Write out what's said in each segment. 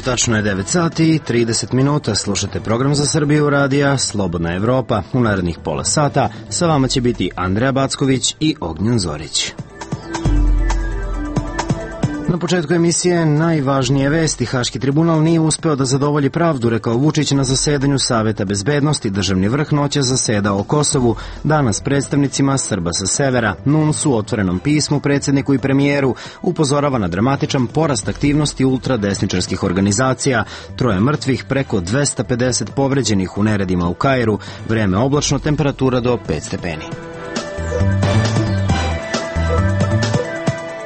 tačno je 9 sati i 30 minuta. Slušate program za Srbiju radija Slobodna Evropa. U narednih pola sata sa vama će biti Andreja Backović i Ognjen Zorić. Na početku emisije najvažnije vesti. Haški tribunal nije uspeo da zadovolji pravdu, rekao Vučić na zasedanju Saveta bezbednosti. Državni vrh noća zaseda o Kosovu. Danas predstavnicima Srba sa severa. NUNS u otvorenom pismu predsjedniku i premijeru upozorava na dramatičan porast aktivnosti ultradesničarskih organizacija. 3 mrtvih, preko 250 povređenih u neredima u Kairu. Vreme oblačno, temperatura do 5 stepeni.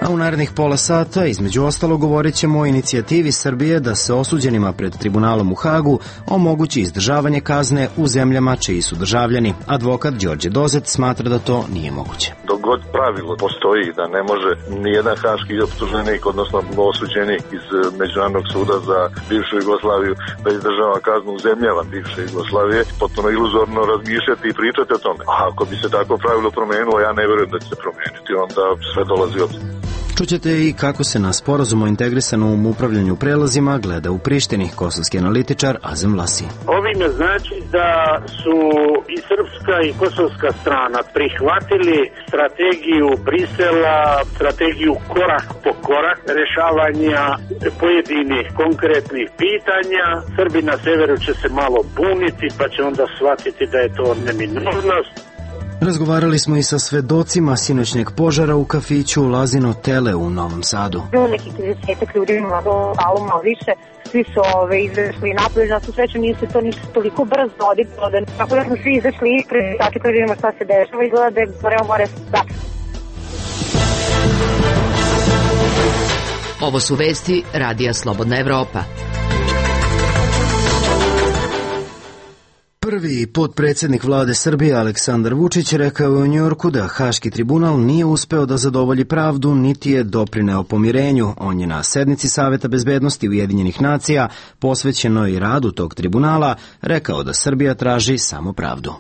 A u narednih pola sata, između ostalo, govorit ćemo o inicijativi Srbije da se osuđenima pred tribunalom u Hagu omogući izdržavanje kazne u zemljama čiji su državljani. Advokat Đorđe Dozet smatra da to nije moguće. Dok god pravilo postoji da ne može nijedan haški optuženik, odnosno osuđenik iz Međunarodnog suda za bivšu Jugoslaviju da izdržava kaznu u zemljama bivše Jugoslavije, potpuno iluzorno razmišljati i pričati o tome. A ako bi se tako pravilo promenilo, ja ne vjerujem da će se promeniti, onda sve dolazi od... Čućete i kako se na sporazum o integrisanom upravljanju prelazima gleda u Prištini. Kosovski analitičar Azem Vlasi. Ovime znači da su i srpska i kosovska strana prihvatili strategiju Brisela, strategiju korak po korak rešavanja pojedinih konkretnih pitanja. Srbi na severu će se malo buniti, pa će onda shvatiti da je to neminovnost. Razgovarali smo i sa svedocima sinoćnjeg požara u kafiću Lazino Tele u Novom Sadu. Bilo nekih 30 ljudi, malo više. Svi su izašli napolje, na svu sreću nije se to ništa toliko brzo odigralo, tako da smo svi izašli ispred, tako da vidimo šta se dešava i gleda da je more sad. Ovo su vesti Radija Slobodna Evropa. Prvi potpredsjednik vlade Srbije Aleksandar Vučić rekao je u Njujorku da Haški tribunal nije uspeo da zadovolji pravdu niti je doprineo pomirenju. On je na sednici Saveta bezbednosti Ujedinjenih nacija, posvećenoj radu tog tribunala, rekao da Srbija traži samo pravdu.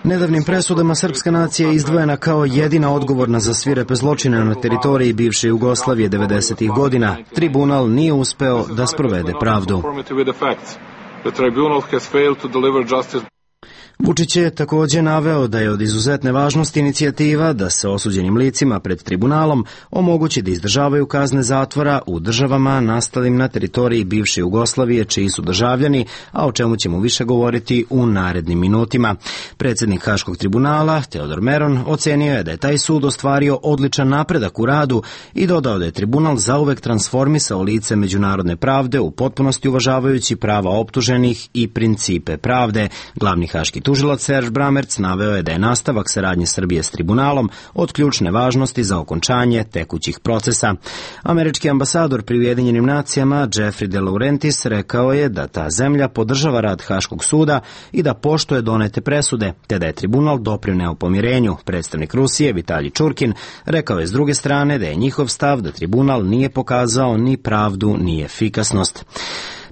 Nedavnim presudama srpska nacija je izdvojena kao jedina odgovorna za svirepe zločine na teritoriji bivše Jugoslavije 90-ih godina. Tribunal nije uspeo da sprovede pravdu. Vučić je također naveo da je od izuzetne važnosti inicijativa da se osuđenim licima pred tribunalom omogući da izdržavaju kazne zatvora u državama nastalim na teritoriji bivše Jugoslavije čiji su državljani, a o čemu ćemo više govoriti u narednim minutima. Predsjednik Haškog tribunala, Teodor Meron, ocenio je da je taj sud ostvario odličan napredak u radu i dodao da je tribunal zauvek transformisao lice međunarodne pravde u potpunosti uvažavajući prava optuženih i principe pravde. Glavni haški tužilac Serž Bramerc naveo je da je nastavak saradnje Srbije s tribunalom od ključne važnosti za okončanje tekućih procesa. Američki ambasador pri Ujedinjenim nacijama Jeffrey de Laurentiis rekao je da ta zemlja podržava rad Haškog suda i da poštuje donete presude, te da je tribunal doprineo pomirenju. Predstavnik Rusije Vitalij Čurkin rekao je s druge strane da je njihov stav da tribunal nije pokazao ni pravdu ni efikasnost.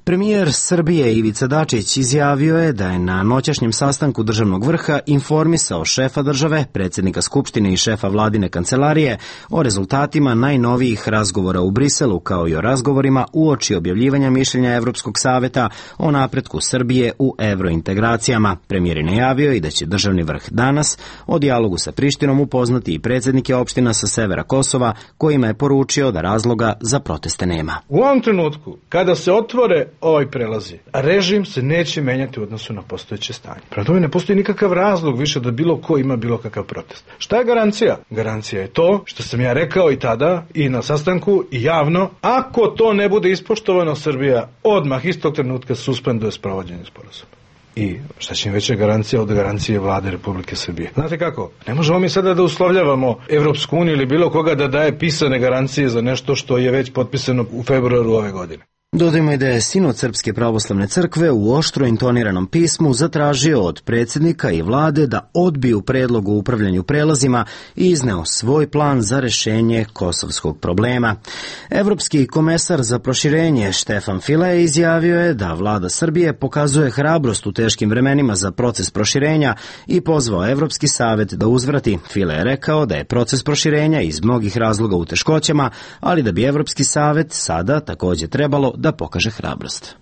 Premijer Srbije Ivica Dačić izjavio je da je na noćašnjem sastanku državnog vrha informisao šefa države, predsjednika Skupštine i šefa vladine kancelarije o rezultatima najnovijih razgovora u Briselu, kao i o razgovorima uoči objavljivanja mišljenja Evropskog saveta o napretku Srbije u evrointegracijama. Premijer je najavio i da će državni vrh danas o dijalogu sa Prištinom upoznati i predsjednike opština sa severa Kosova, kojima je poručio da razloga za proteste nema. U ovom trenutku, kada se otvore ovaj prelazi, režim se neće menjati u odnosu na postojeće stanje. Prema tome ne postoji nikakav razlog više da bilo ko ima bilo kakav protest. Šta je garancija? Garancija je to što sam ja rekao i tada i na sastanku i javno, ako to ne bude ispoštovano, Srbija odmah istog trenutka suspenduje sprovođenje sporazuma. I šta će im veća garancija od garancije vlade Republike Srbije? Znate kako? Ne možemo mi sada da uslovljavamo Evropsku uniju ili bilo koga da daje pisane garancije za nešto što je već potpisano u februaru ove godine. Dodajmo i da je Sinod Srpske pravoslavne crkve u oštro intoniranom pismu zatražio od predsjednika i vlade da odbiju predlog o upravljanju prelazima i izneo svoj plan za rešenje kosovskog problema. Evropski komesar za proširenje Štefan File izjavio je da vlada Srbije pokazuje hrabrost u teškim vremenima za proces proširenja i pozvao Evropski savet da uzvrati. File je rekao da je proces proširenja iz mnogih razloga u teškoćama, ali da bi Evropski savet sada također trebalo da pokaže hrabrost.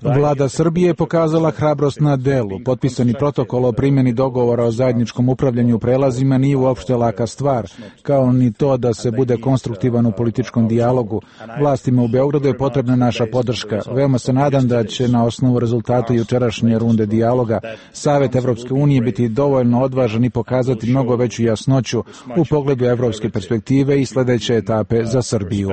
Vlada Srbije je pokazala hrabrost na delu. Potpisani protokol o primjeni dogovora o zajedničkom upravljanju prelazima nije uopšte laka stvar, kao ni to da se bude konstruktivan u političkom dijalogu. Vlastima u Beogradu je potrebna naša podrška. Veoma se nadam da će na osnovu rezultata jučerašnje runde dijaloga Savet Evropske unije biti dovoljno odvažan i pokazati mnogo veću jasnoću u pogledu evropske perspektive i sledeće etape za Srbiju.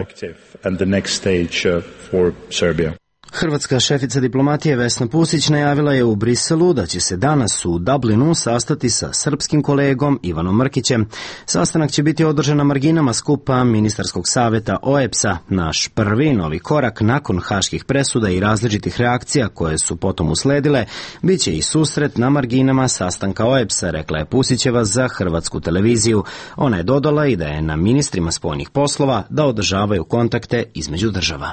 Hrvatska šefica diplomatije Vesna Pusić najavila je u Briselu da će se danas u Dublinu sastati sa srpskim kolegom Ivanom Mrkićem. Sastanak će biti održan na marginama skupa Ministarskog saveta OEBS-a. Naš prvi novi korak nakon haških presuda i različitih reakcija koje su potom usledile, bit će i susret na marginama sastanka OEBS-a, rekla je Pusićeva za Hrvatsku televiziju. Ona je dodala i da je na ministrima spoljnih poslova da održavaju kontakte između država.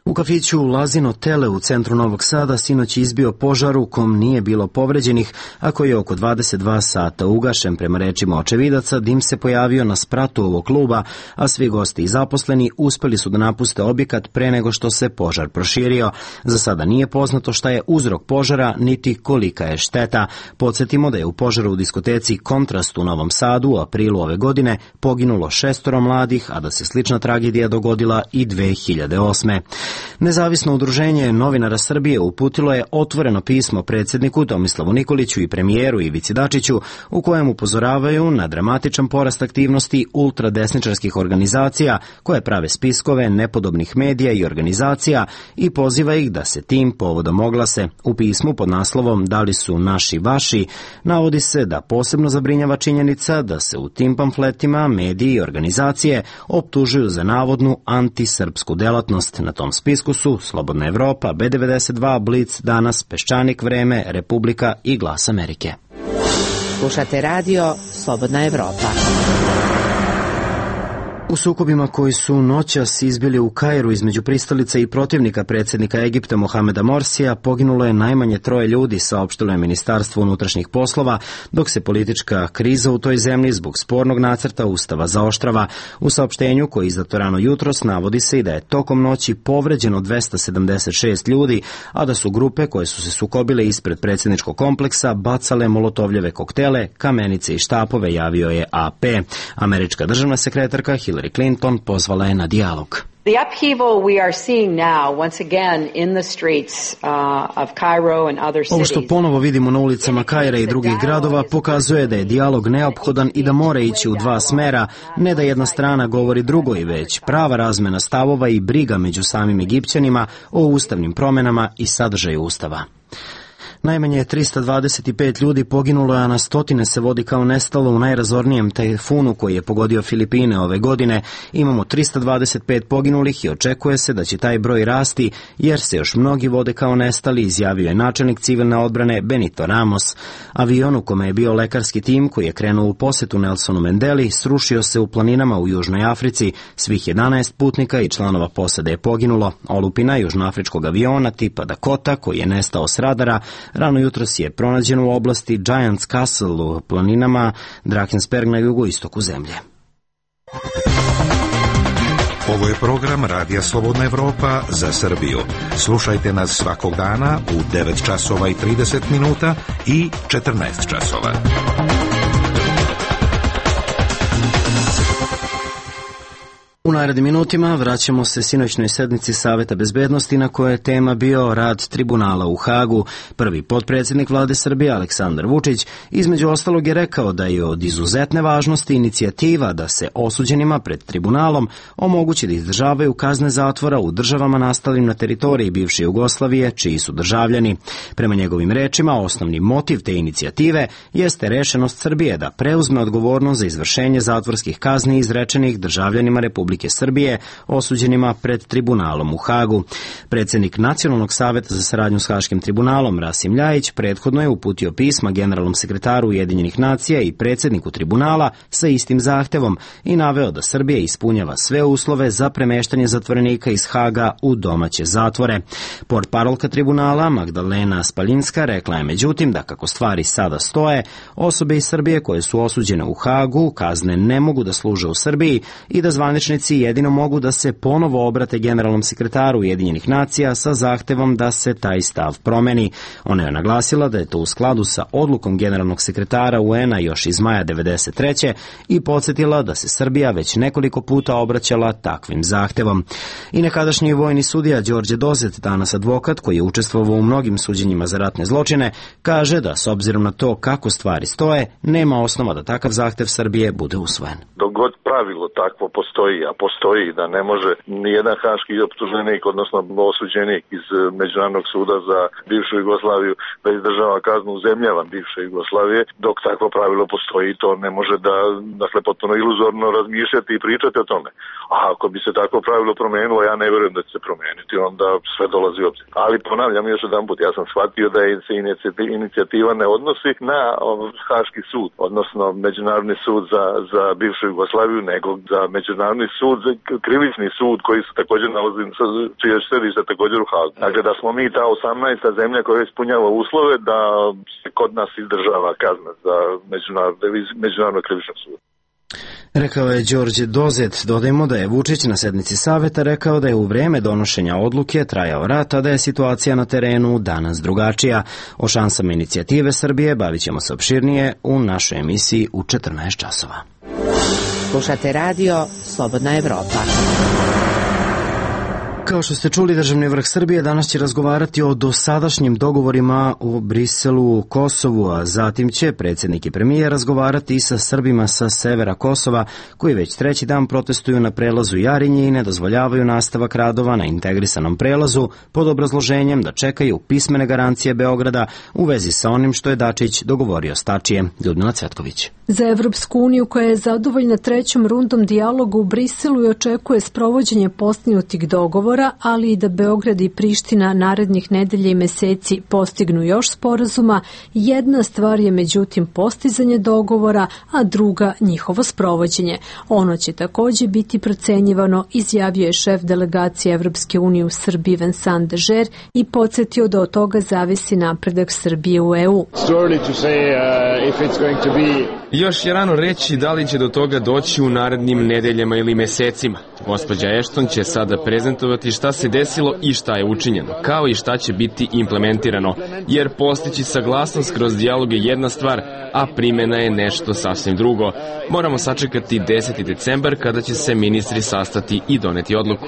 U kafiću Lazino Tele u centru Novog Sada sinoć izbio požar u kom nije bilo povređenih, a koji je oko 22 sata ugašen. Prema rečima očevidaca, dim se pojavio na spratu ovog kluba, a svi gosti i zaposleni uspeli su da napuste objekat pre nego što se požar proširio. Za sada nije poznato šta je uzrok požara, niti kolika je šteta. Podsjetimo da je u požaru u diskoteci Kontrast u Novom Sadu u aprilu ove godine poginulo 6 mladih, a da se slična tragedija dogodila i 2008. Nezavisno udruženje novinara Srbije uputilo je otvoreno pismo predsjedniku Tomislavu Nikoliću i premijeru Ivici Dačiću u kojem upozoravaju na dramatičan porast aktivnosti ultradesničarskih organizacija koje prave spiskove nepodobnih medija i organizacija i poziva ih da se tim povodom oglase. U pismu pod naslovom Da li su naši vaši navodi se da posebno zabrinjava činjenica da se u tim pamfletima mediji i organizacije optužuju za navodnu antisrpsku delatnost. Na tom spisku su Slobodna Evropa, B92, Blic, Danas, Peščanik, Vreme, Republika i Glas Amerike. Slušate radio Slobodna Evropa. U sukobima koji su noćas izbili u Kairu između pristalica i protivnika predsjednika Egipta Mohameda Morsija poginulo je najmanje 3 ljudi, saopštilo je Ministarstvo unutrašnjih poslova, dok se politička kriza u toj zemlji zbog spornog nacrta ustava zaoštrava. U saopštenju koje je izdato rano jutros navodi se i da je tokom noći povređeno 276 ljudi, a da su grupe koje su se sukobile ispred predsjedničkog kompleksa bacale molotovljeve koktele, kamenice i štapove, javio je AP. Američka državna sekretarka Hillary Clinton pozvala je na dijalog. The upheaval we are seeing now once again in the streets of Cairo and other cities. Ovo što ponovo vidimo na ulicama Kaira i drugih gradova pokazuje da je dijalog neophodan i da mora ići u 2 smera, ne da jedna strana govori drugoj, već prava razmena stavova i briga među samim Egipćanima o ustavnim promjenama i sadržaju ustava. Najmanje 325 ljudi poginulo, a na stotine se vodi kao nestalo u najrazornijem tajfunu koji je pogodio Filipine ove godine. Imamo 325 poginulih i očekuje se da će taj broj rasti jer se još mnogi vode kao nestali, izjavio je načelnik civilne odbrane Benito Ramos. Avion u kome je bio lekarski tim koji je krenuo u posetu Nelsonu Mandeli srušio se u planinama u Južnoj Africi. Svih 11 putnika i članova posade je poginulo. Olupina južnoafričkog aviona tipa Dakota koji je nestao s radara rano jutros je pronađen u oblasti Giants Castle u planinama Drakensberg na jugoistoku zemlje. Ovo je program Radija Slobodna Evropa za Srbiju. Slušajte nas svakog dana u 9 časova i 30 minuta i 14 časova. U narednim minutima vraćamo se sinoćnoj sednici Saveta bezbednosti na kojoj je tema bio rad tribunala u Hagu. Prvi potpredsjednik vlade Srbije Aleksandar Vučić između ostalog je rekao da je od izuzetne važnosti inicijativa da se osuđenima pred tribunalom omogući da izdržavaju kazne zatvora u državama nastalim na teritoriji bivše Jugoslavije čiji su državljani. Prema njegovim rečima, osnovni motiv te inicijative jeste rešenost Srbije da preuzme odgovornost za izvršenje zatvorskih kazni izrečenih državljanima Republike Srbije osuđenima pred tribunalom u Hagu. Predsjednik Nacionalnog saveta za saradnju s Haškim tribunalom Rasim Ljajić prethodno je uputio pisma generalnom sekretaru Ujedinjenih nacija i predsjedniku tribunala sa istim zahtevom i naveo da Srbija ispunjava sve uslove za premeštanje zatvorenika iz Haga u domaće zatvore. Portparolka tribunala Magdalena Spaljinska rekla je međutim da kako stvari sada stoje, osobe iz Srbije koje su osuđene u Hagu kazne ne mogu da služe u Srbiji i da zvaničnici jedino mogu da se ponovo obrate generalnom sekretaru Ujedinjenih nacija sa zahtevom da se taj stav promeni. Ona je naglasila da je to u skladu sa odlukom generalnog sekretara UN-a još iz maja 1993. i podsjetila da se Srbija već nekoliko puta obraćala takvim zahtevom. I nekadašnji vojni sudija Đorđe Dozet, danas advokat koji je učestvovao u mnogim suđenjima za ratne zločine, kaže da s obzirom na to kako stvari stoje, nema osnova da takav zahtev Srbije bude usvojen. Dok god pravilo takvo postoji, a postoji da ne može nijedan haški optuženik, odnosno osuđenik iz Međunarodnog suda za bivšu Jugoslaviju da izdržava kaznu u zemljama bivše Jugoslavije, dok takvo pravilo postoji, to ne može da, dakle, potpuno iluzorno razmišljati i pričati o tome. A ako bi se takvo pravilo promenilo, ja ne vjerujem da će se promeniti, onda sve dolazi u obzir. Ali ponavljam još jedan put, ja sam shvatio da se inicijativa ne odnosi na Haški sud, odnosno Međunarodni sud za bivšu Jugoslaviju, nego za Međunarodni sud, krivični sud koji se također nalazi, čije središte također u Hagu. Dakle, da smo mi ta 18. zemlja koja ispunjava uslove da se kod nas izdržava kazna za Međunarodnog krivičnog suda. Rekao je Đorđe Dozet. Dodajmo da je Vučić na sednici saveta rekao da je u vreme donošenja odluke trajao rat, a da je situacija na terenu danas drugačija. O šansama inicijative Srbije bavit ćemo se opširnije u našoj emisiji u 14 časova. Slušate radio Slobodna Evropa. Kao što ste čuli, državni vrh Srbije danas će razgovarati o dosadašnjim dogovorima u Briselu, Kosovu, a zatim će predsjednik i premijer razgovarati i sa Srbima sa severa Kosova, koji već treći dan protestuju na prelazu Jarinje i ne dozvoljavaju nastavak radova na integrisanom prelazu pod obrazloženjem da čekaju pismene garancije Beograda u vezi sa onim što je Dačić dogovorio s Tačijem. Ljudmila Cvetković. Za Evropsku uniju koja je zadovoljna trećom rundom dijaloga u Briselu i očekuje sprovođenje postignutih dogovora, ali i da Beograd i Priština narednih nedelja i meseci postignu još sporazuma, jedna stvar je međutim postizanje dogovora, a druga njihovo sprovođenje. Ono će također biti procenjivano, izjavio je šef delegacije Evropske unije u Srbiji Vincent Dežer i podsjetio da od toga zavisi napredak Srbije u EU. Još je rano reći da li će do toga doći u narednim nedeljama ili mesecima. Gospođa Ashton će sada prezentovati šta se desilo i šta je učinjeno, kao i šta će biti implementirano, jer postići saglasnost kroz dijalog je jedna stvar, a primjena je nešto sasvim drugo. Moramo sačekati 10. decembar kada će se ministri sastati i doneti odluku.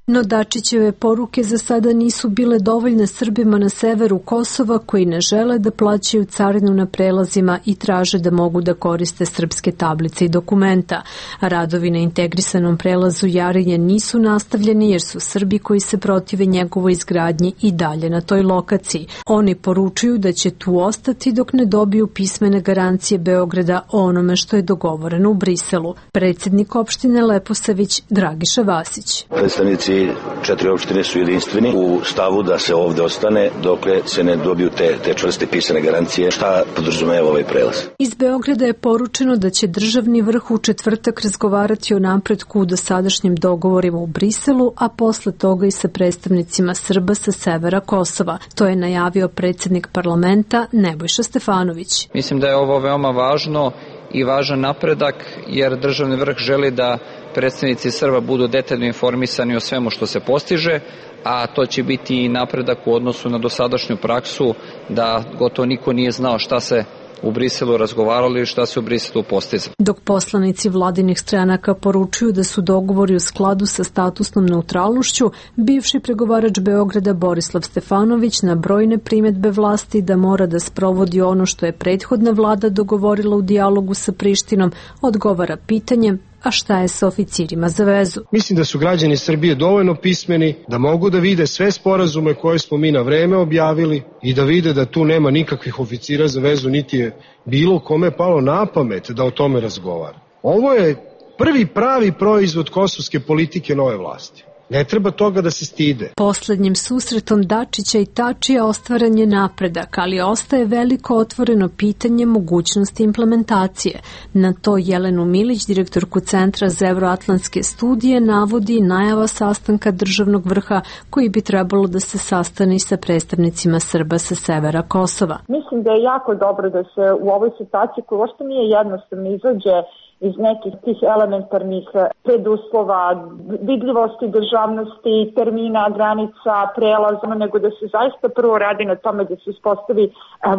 No Dačićeve poruke za sada nisu bile dovoljne Srbima na severu Kosova koji ne žele da plaćaju carinu na prelazima i traže da mogu da koriste srpske tablice i dokumenta. Radovi na integrisanom prelazu Jarinje nisu nastavljeni jer su Srbi koji se protive njegovoj izgradnji i dalje na toj lokaciji. Oni poručuju da će tu ostati dok ne dobiju pismene garancije Beograda o onome što je dogovoreno u Briselu. Predsjednik opštine Leposavić Dragiša Vasić. Predstavnici 4 opštine su jedinstveni u stavu da se ovde ostane dokle se ne dobiju te čvrste pisane garancije šta podrazumeva ovaj prelaz. Iz Beograda je poručeno da će državni vrh u četvrtak razgovarati o napretku u dosadašnjim dogovorima u Briselu, a posle toga i sa predstavnicima Srba sa severa Kosova. To je najavio predsjednik parlamenta Nebojša Stefanović. Mislim da je ovo veoma važno i važan napredak jer državni vrh želi da predstavnici Srba budu detaljno informisani o svemu što se postiže, a to će biti i napredak u odnosu na dosadašnju praksu da gotovo niko nije znao šta se u Briselu razgovarali i šta se u Briselu postizalo. Dok poslanici vladinih stranaka poručuju da su dogovori u skladu sa statusnom neutralnošću, bivši pregovarač Beograda Borislav Stefanović na brojne primedbe vlasti da mora da sprovodi ono što je prethodna vlada dogovorila u dijalogu sa Prištinom, odgovara pitanjem: a šta je sa oficirima za vezu? Mislim da su građani Srbije dovoljno pismeni da mogu da vide sve sporazume koje smo mi na vreme objavili i da vide da tu nema nikakvih oficira za vezu, niti je bilo kome palo na pamet da o tome razgovara. Ovo je prvi pravi proizvod kosovske politike nove vlasti. Ne treba toga da se stide. Poslednjim susretom Dačića i Tačija ostvaren je napredak, ali ostaje veliko otvoreno pitanje mogućnosti implementacije. Na to Jelenu Milić, direktorku Centra za evroatlantske studije, navodi najava sastanka državnog vrha koji bi trebalo da se sastane sa predstavnicima Srba sa severa Kosova. Mislim da je jako dobro da se u ovoj situaciji, koja uopšte nije jednostavno, izađe iz nekih tih elementarnih preduslova, vidljivosti, državnosti, termina, granica, prelaza, nego da se zaista prvo radi na tome da se uspostavi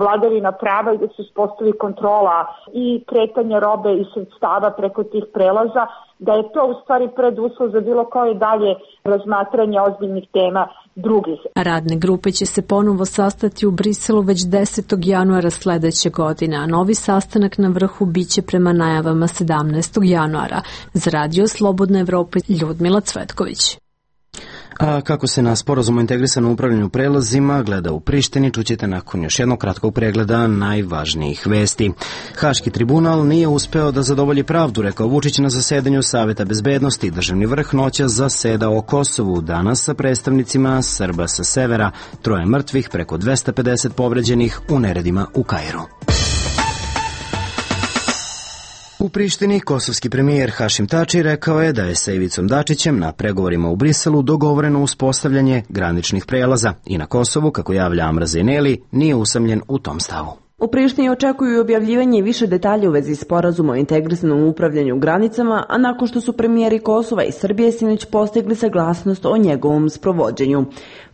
vladavina prava i da se uspostavi kontrola i kretanje robe i sredstava preko tih prelaza, da je to u stvari preduslov za bilo koje dalje razmatranje ozbiljnih tema drugih. Radne grupe će se ponovo sastati u Briselu već 10. januara sledeće godine, a novi sastanak na vrhu biće prema najavama 17. januara. Za Radio Slobodna Evropa, Ljudmila Cvetković. A kako se na sporazumu integrisanom upravljanju prelazima gleda u Prištini, čućete nakon još jednog kratkog pregleda najvažnijih vesti. Haški tribunal nije uspeo da zadovolji pravdu, rekao Vučić na zasedanju Saveta bezbednosti. Državni vrh noćas zaseda o Kosovu, danas sa predstavnicima Srba sa severa, 3 mrtvih, preko 250 povređenih u neredima u Kairu. U Prištini kosovski premijer Hašim Tači rekao je da je sa Ivicom Dačićem na pregovorima u Briselu dogovoreno uspostavljanje graničnih prelaza i na Kosovu, kako javlja Amra Zeneli, nije usamljen u tom stavu. U Prištini očekuju objavljivanje više detalja u vezi sporazuma o integrisanom upravljanju granicama, a nakon što su premijeri Kosova i Srbije sinoć postigli saglasnost o njegovom sprovođenju.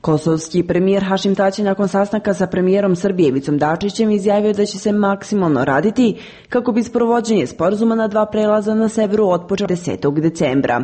Kosovski premijer Hašim Tači nakon sastanka sa premijerom Srbije Ivicom Dačićem izjavio da će se maksimalno raditi kako bi sprovođenje sporazuma na 2 prelaza na severu otpočeo 10. decembra.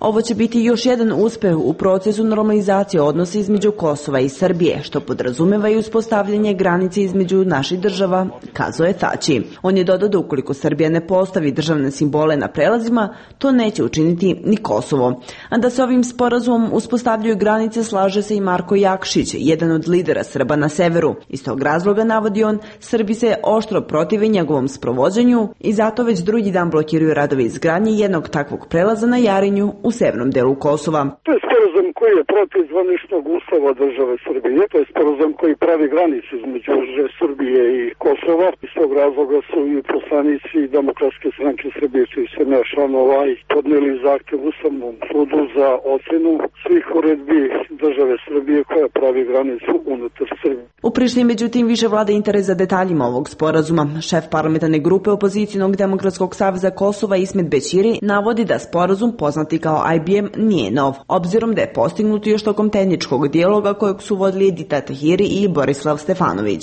Ovo će biti još jedan uspeh u procesu normalizacije odnosa između Kosova i Srbije, što podrazumeva i uspostavljanje granice između naših država, kazao je Tači. On je dodao da ukoliko Srbija ne postavi državne simbole na prelazima, to neće učiniti ni Kosovo. A da se ovim sporazumom uspostavljaju granice slaže se i Marko Jakšić, jedan od lidera Srba na severu. Iz tog razloga, navodi on, Srbi se oštro protive njegovom sprovođenju i zato već drugi dan blokiraju radove izgradnje jednog takvog prelaza na Jarinju u severnom delu Kosova. To je sporazum koji je protiv zvaničnog ustava države Srbije. To je sporazum koji pravi granice između Srbije i Kosova. Iz tog razloga su i poslanici Demokratske stranke Srbije, koji se ne članova, podneli zahtev Ustavnom sudu za ocenu svih uredbi države Srbije koja pravi granicu unutar Srbije. U Prištini, međutim, više vlada interes za detaljima ovog sporazuma. Šef parlamentarne grupe opozicijnog Demokratskog saveza Kosova Ismet Bećiri navodi da sporazum, poznati kao IBM, nije nov, obzirom da je postignut još tokom tehničkog dijaloga kojeg su vodili Edita Tahiri i Borislav Stefanović.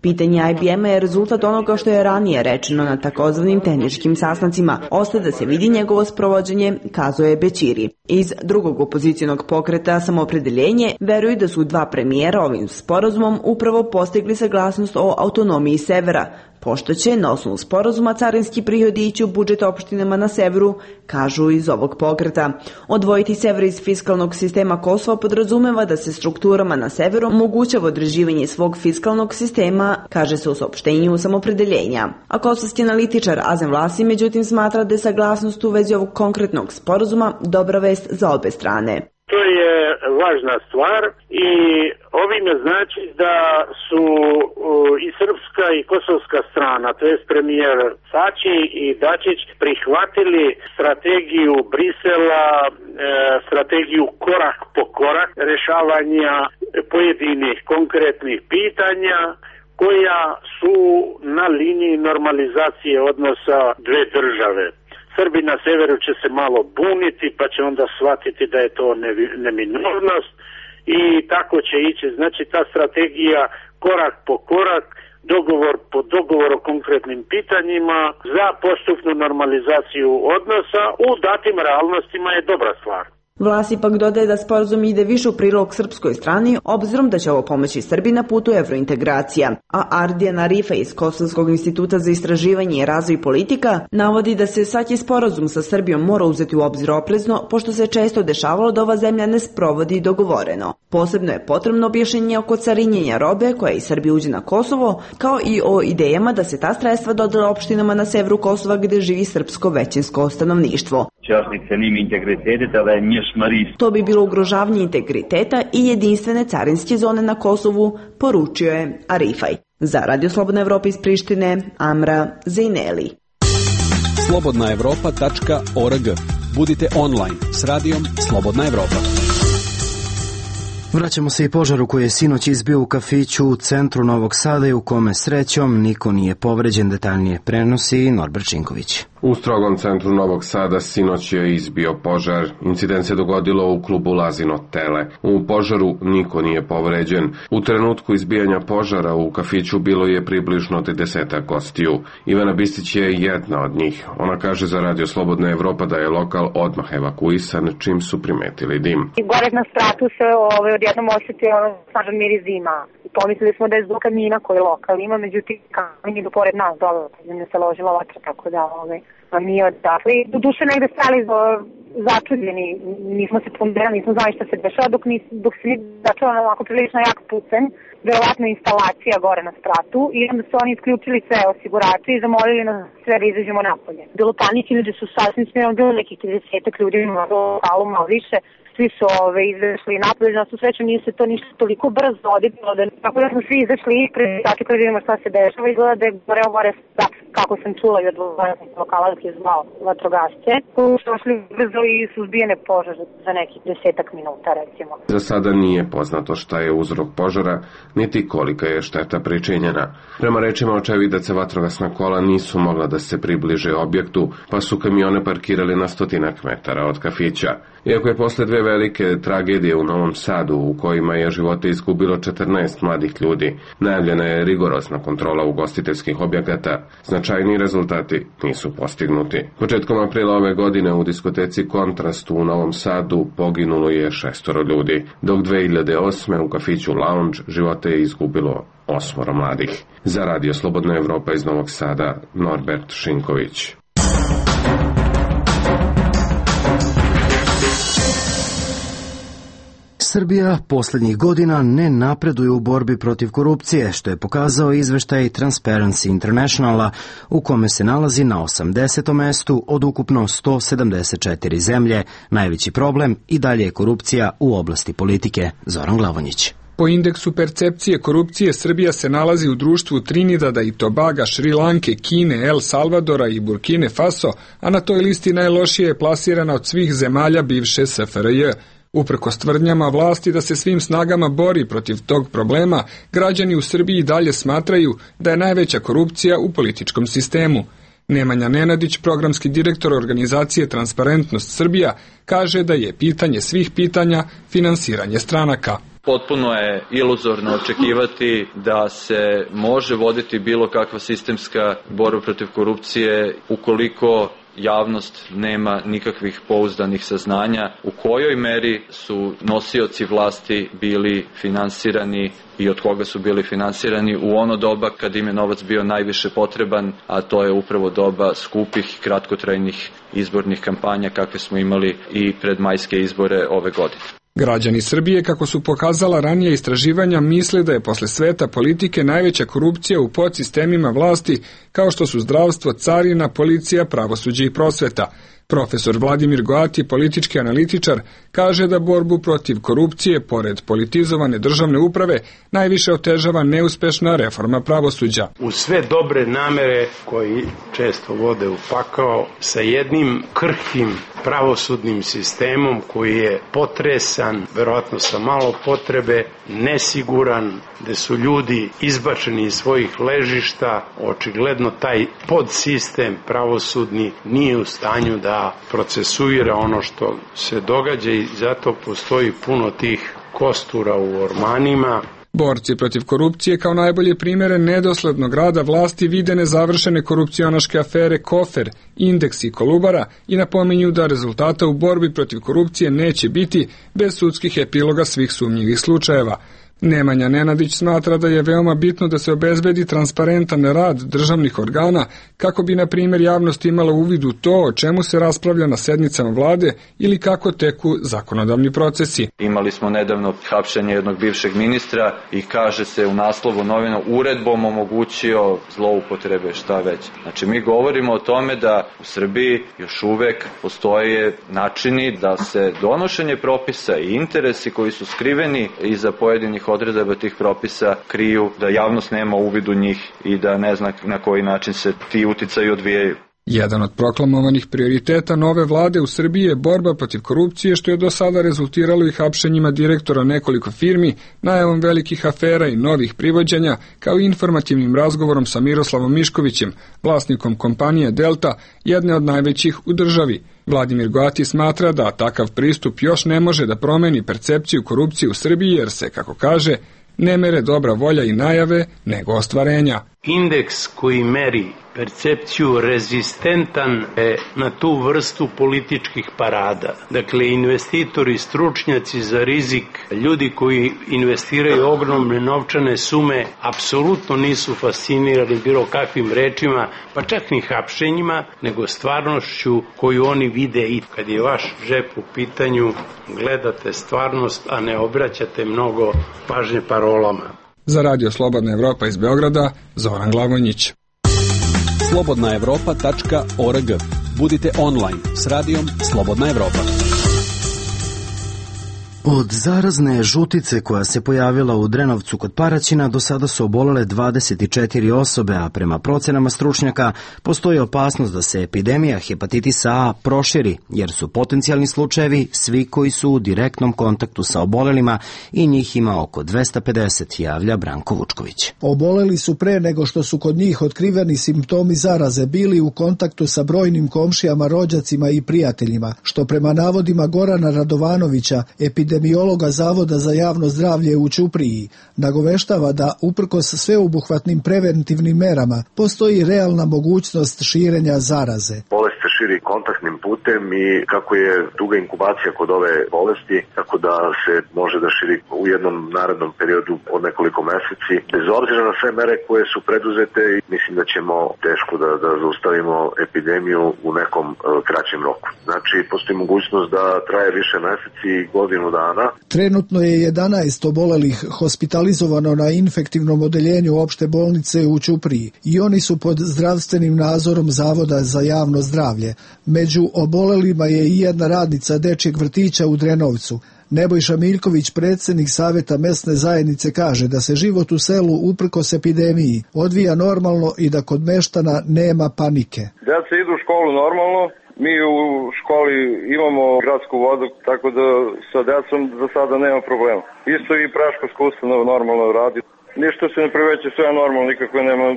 Pitanje IBM-a je rezultat onoga što je ranije rečeno na takozvanim tehničkim sastancima. Ostaje da se vidi njegovo sprovođenje, kazao je Bećiri. Iz drugog opozicijnog pokreta Samoopredeljenje veruju da su 2 premijera ovim sporazumom upravo postigli saglasnost o autonomiji severa, pošto će na osnovu sporazuma carinski prihodi ići u budžet opštinama na severu, kažu iz ovog pokreta. Odvojiti sever iz fiskalnog sistema Kosova podrazumeva da se strukturama na severu omogućava određivanje svog fiskalnog sistema, kaže se u saopštenju Samoopredeljenja. A kosovski analitičar Azem Vlasi međutim smatra da je saglasnost u vezi ovog konkretnog sporazuma dobra vest za obe strane. To je važna stvar i ovime znači da su i srpska i kosovska strana, to jest premijer Tači i Dačić, prihvatili strategiju Brisela, strategiju korak po korak rešavanja pojedinih konkretnih pitanja koja su na liniji normalizacije odnosa 2 države. Srbi na severu će se malo buniti, pa će onda shvatiti da je to neminovnost i tako će ići. Znači ta strategija korak po korak, dogovor po dogovor o konkretnim pitanjima za postupnu normalizaciju odnosa u datim realnostima je dobra stvar. Vlast ipak dodaje da sporazum ide više u prilog srpskoj strani, obzirom da će ovo pomoći Srbiji na putu evrointegracija. A Ardijan Arifa iz Kosovskog instituta za istraživanje i razvoj politika navodi da se svaki sporazum sa Srbijom mora uzeti u obzir oprezno, pošto se često dešavalo da ova zemlja ne sprovodi dogovoreno. Posebno je potrebno objašnjenje oko carinjenja robe koja iz Srbije uđe na Kosovo, kao i o idejama da se ta sredstva dodele opštinama na severu Kosova gde živi srpsko većinsko stanovništvo. To bi bilo ugrožavanje integriteta i jedinstvene carinske zone na Kosovu, poručio je Arifaj. Za Radio Slobodna Evropa iz Prištine, Amra Zejneli. slobodnaevropa.org. Budite online s radijom Slobodna Evropa. Vraćamo se i požaru koji je sinoć izbio u kafiću u centru Novog Sada i u kome srećom niko nije povređen, detaljnije prenosi Norbert Činković. U strogom centru Novog Sada sinoć je izbio požar. Incident se dogodilo u klubu Lazino Tele. U požaru niko nije povređen. U trenutku izbijanja požara u kafiću bilo je približno 30 gostiju. Ivana Bistić je jedna od njih. Ona kaže za Radio Slobodna Evropa da je lokal odmah evakuisan čim su primetili dim. Gore na spratu se odjednom osjetio snažan miris dima. Pomislili smo da je zbog kamina koji lokal ima, međutim kamin idu pored nas dole, ne se ložila vatra, tako da nije odakle. Do duše negde stali začuđeni, nismo se ponderali, nismo znali šta se dešava, dok se nije začela onako prilično jak pucanj, verovatno instalacija gore na spratu, i onda su oni isključili sve osigurače i zamolili nas sve da izađemo napolje. Bilo panike, ljudi su sasvim smjerno, bilo nekih 30 ljudi u lokalu, malo više. Svi su izašli napolje, na svu sreću nije se to ništa toliko brzo odipilo, tako da smo svi izašli i tako da vidimo šta se dešava, izgleda da je gore kako sam čula i od lokala da je zvao vatrogasce, koji su došli brzo i su zbijene požar za nekih 10 minuta recimo. Za sada nije poznato šta je uzrok požara, niti kolika je šteta pričinjena. Prema rečima očevidaca, vatrogasna kola nisu mogla da se približe objektu, pa su kamione parkirali na 100 metara od kafića. Iako je posle dve velike tragedije u Novom Sadu, u kojima je živote izgubilo 14 mladih ljudi, najavljena je rigorozna kontrola ugostiteljskih objekata, značajni rezultati nisu postignuti. Početkom aprila ove godine u diskoteci Kontrast u Novom Sadu poginulo je 6 ljudi, dok 2008. u kafiću Lounge živote je izgubilo 8 mladih. Za Radio Slobodna Evropa iz Novog Sada, Norbert Šinković. Srbija posljednjih godina ne napreduje u borbi protiv korupcije, što je pokazao izveštaj Transparency Internationala, u kome se nalazi na 80. mestu od ukupno 174 zemlje. Najveći problem i dalje je korupcija u oblasti politike. Zoran Glavonjić. Po indeksu percepcije korupcije Srbija se nalazi u društvu Trinidada i Tobaga, Šri Lanke, Kine, El Salvadora i Burkine Faso, a na toj listi najlošije je plasirana od svih zemalja bivše SFRJ. Uprkos tvrdnjama vlasti da se svim snagama bori protiv tog problema, građani u Srbiji dalje smatraju da je najveća korupcija u političkom sistemu. Nemanja Nenadić, programski direktor organizacije Transparentnost Srbija, kaže da je pitanje svih pitanja finansiranje stranaka. Potpuno je iluzorno očekivati da se može voditi bilo kakva sistemska borba protiv korupcije ukoliko javnost nema nikakvih pouzdanih saznanja u kojoj meri su nosioci vlasti bili finansirani i od koga su bili finansirani u ono doba kad im je novac bio najviše potreban, a to je upravo doba skupih i kratkotrajnih izbornih kampanja kakve smo imali i pred majske izbore ove godine. Građani Srbije, kako su pokazala ranije istraživanja, misle da je posle sveta politike najveća korupcija u podsistemima vlasti, kao što su zdravstvo, carina, policija, pravosuđe i prosveta. Profesor Vladimir Goati, politički analitičar, kaže da borbu protiv korupcije, pored politizovane državne uprave, najviše otežava neuspešna reforma pravosuđa. U sve dobre namere koji često vode u pakao, sa jednim krhkim pravosudnim sistemom koji je potresan, verovatno sa malo potrebe, nesiguran, gde su ljudi izbačeni iz svojih ležišta, očigledno taj podsistem pravosudni nije u stanju da procesuira ono što se događa i zato postoji puno tih kostura u ormanima. Borci protiv korupcije kao najbolje primere nedoslednog rada vlasti vide nezavršene korupcionaške afere Kofer, Indeks i Kolubara i napominju da rezultata u borbi protiv korupcije neće biti bez sudskih epiloga svih sumnjivih slučajeva. Nemanja Nenadić smatra da je veoma bitno da se obezbedi transparentan rad državnih organa kako bi, na primjer, javnost imala uvid u to o čemu se raspravlja na sednicama vlade ili kako teku zakonodavni procesi. Imali smo nedavno hapšenje jednog bivšeg ministra i kaže se u naslovu novina uredbom omogućio zloupotrebe, šta već. Znači mi govorimo o tome da u Srbiji još uvek postoje načini da se donošenje propisa i interesi koji su skriveni iza pojedinih odredaba tih propisa kriju, da javnost nema uvid u njih i da ne zna na koji način se ti uticaji odvijaju. Jedan od proklamovanih prioriteta nove vlade u Srbiji je borba protiv korupcije, što je do sada rezultiralo i hapšenjima direktora nekoliko firmi, najavom velikih afera i novih privođenja, kao i informativnim razgovorom sa Miroslavom Miškovićem, vlasnikom kompanije Delta, jedne od najvećih u državi. Vladimir Goati smatra da takav pristup još ne može da promeni percepciju korupcije u Srbiji, jer se, kako kaže, ne mere dobra volja i najave, nego ostvarenja. Indeks koji meri percepciju rezistentan je na tu vrstu političkih parada. Dakle, investitori, stručnjaci za rizik, ljudi koji investiraju ogromne novčane sume, apsolutno nisu fascinirani bilo kakvim rečima, pa čak ni hapšenjima, nego stvarnošću koju oni vide. I kad je vaš džep u pitanju, gledate stvarnost, a ne obraćate mnogo pažnje parolama. Za Radio Slobodna Evropa iz Beograda, Zoran Glavonjić. slobodnaevropa.org. Budite online s radijom Slobodna Evropa. Od zarazne žutice koja se pojavila u Drenovcu kod Paraćina do sada su obolele 24 osobe, a prema procenama stručnjaka postoji opasnost da se epidemija hepatitisa A proširi, jer su potencijalni slučajevi svi koji su u direktnom kontaktu sa obolelima i njih ima oko 250, javlja Branko Vučković. Oboleli su pre nego što su kod njih otkriveni simptomi zaraze bili u kontaktu sa brojnim komšijama, rođacima i prijateljima, što prema navodima Gorana Radovanovića, epidemiologa Zavoda za javno zdravlje u Ćupriji, nagoveštava da uprkos sveobuhvatnim preventivnim merama postoji realna mogućnost širenja zaraze. Bolest se širi kontaktnim putem i kako je duga inkubacija kod ove bolesti, tako da se može da širi u jednom narednom periodu od nekoliko meseci. Bez obzira na sve mere koje su preduzete, mislim da ćemo teško da zaustavimo epidemiju u nekom kraćem roku. Znači, postoji mogućnost da traje više meseci i godinu dana. Trenutno je 11 obolelih hospitalizovano na infektivnom odeljenju opšte bolnice u Ćupriji i oni su pod zdravstvenim nadzorom Zavoda za javno zdravlje. Među obolelima je i jedna radnica dečjeg vrtića u Drenovcu. Nebojša Miljković, predsjednik Saveta mesne zajednice, kaže da se život u selu uprkos epidemiji odvija normalno i da kod meštana nema panike. Deca idu u školu normalno. Mi u školi imamo gradsku vodu, tako da sa decom za sada nema problema. Isto i predškolska ustanova normalno radi. Ništa se ne priveće, sve je normalno, nikako nema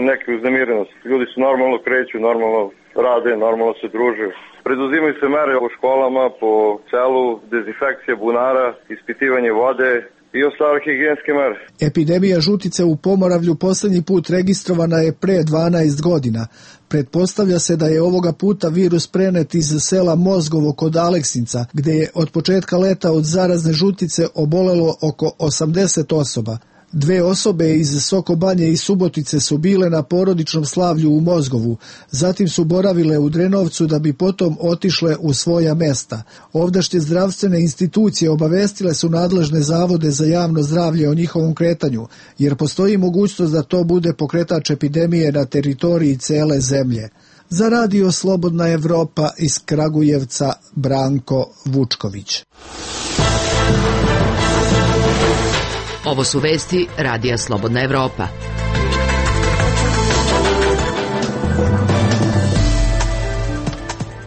neke uznemirenosti. Ljudi se normalno kreću, normalno rade, normalno se druže. Preduzimaju se mere u školama, po selu, dezinfekcija bunara, ispitivanje vode i ostale higijenske mere. Epidemija žutice u Pomoravlju posljednji put registrovana je pre 12 godina. Pretpostavlja se da je ovoga puta virus prenet iz sela Mozgovo kod Aleksinca, gdje je od početka leta od zarazne žutice obolelo oko 80 osoba. 2 osobe iz Sokobanje i Subotice su bile na porodičnom slavlju u Mozgovu, zatim su boravile u Drenovcu da bi potom otišle u svoja mesta. Ovdašnje zdravstvene institucije obavestile su nadležne zavode za javno zdravlje o njihovom kretanju, jer postoji mogućnost da to bude pokretač epidemije na teritoriji cele zemlje. Za Radio Slobodna Evropa iz Kragujevca, Branko Vučković. Ovo su vesti Radija Slobodna Evropa.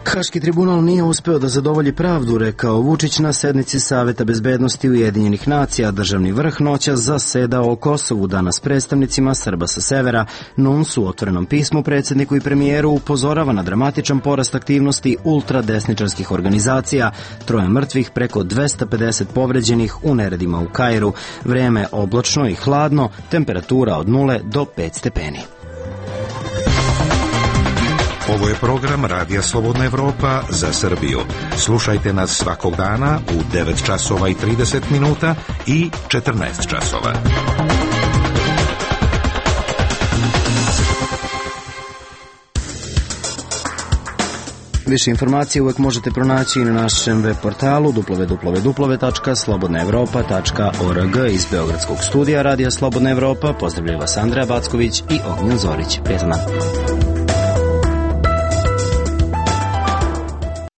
Haški tribunal nije uspeo da zadovolji pravdu, rekao Vučić na sednici Saveta bezbednosti Ujedinjenih nacija. Državni vrh noćas zasedao o Kosovu, danas predstavnicima Srba sa severa. NUNS u otvorenom pismu predsjedniku i premijeru upozorava na dramatičan porast aktivnosti ultradesničarskih organizacija, 3 mrtvih, preko 250 povređenih u neredima u Kairu. Vreme oblačno i hladno, temperatura od 0 do 5 stepeni. Ovo je program Radija Slobodna Evropa za Srbiju. Slušajte nas svakog dana u 9 časova i 30 minuta i 14 časova. Više informacije uvek možete pronaći i na našem web portalu www.slobodnaevropa.org. Iz Beogradskog studija Radija Slobodna Evropa pozdravljaju vas Andreja Backović i Ognjen Zorić. Prijetan dan.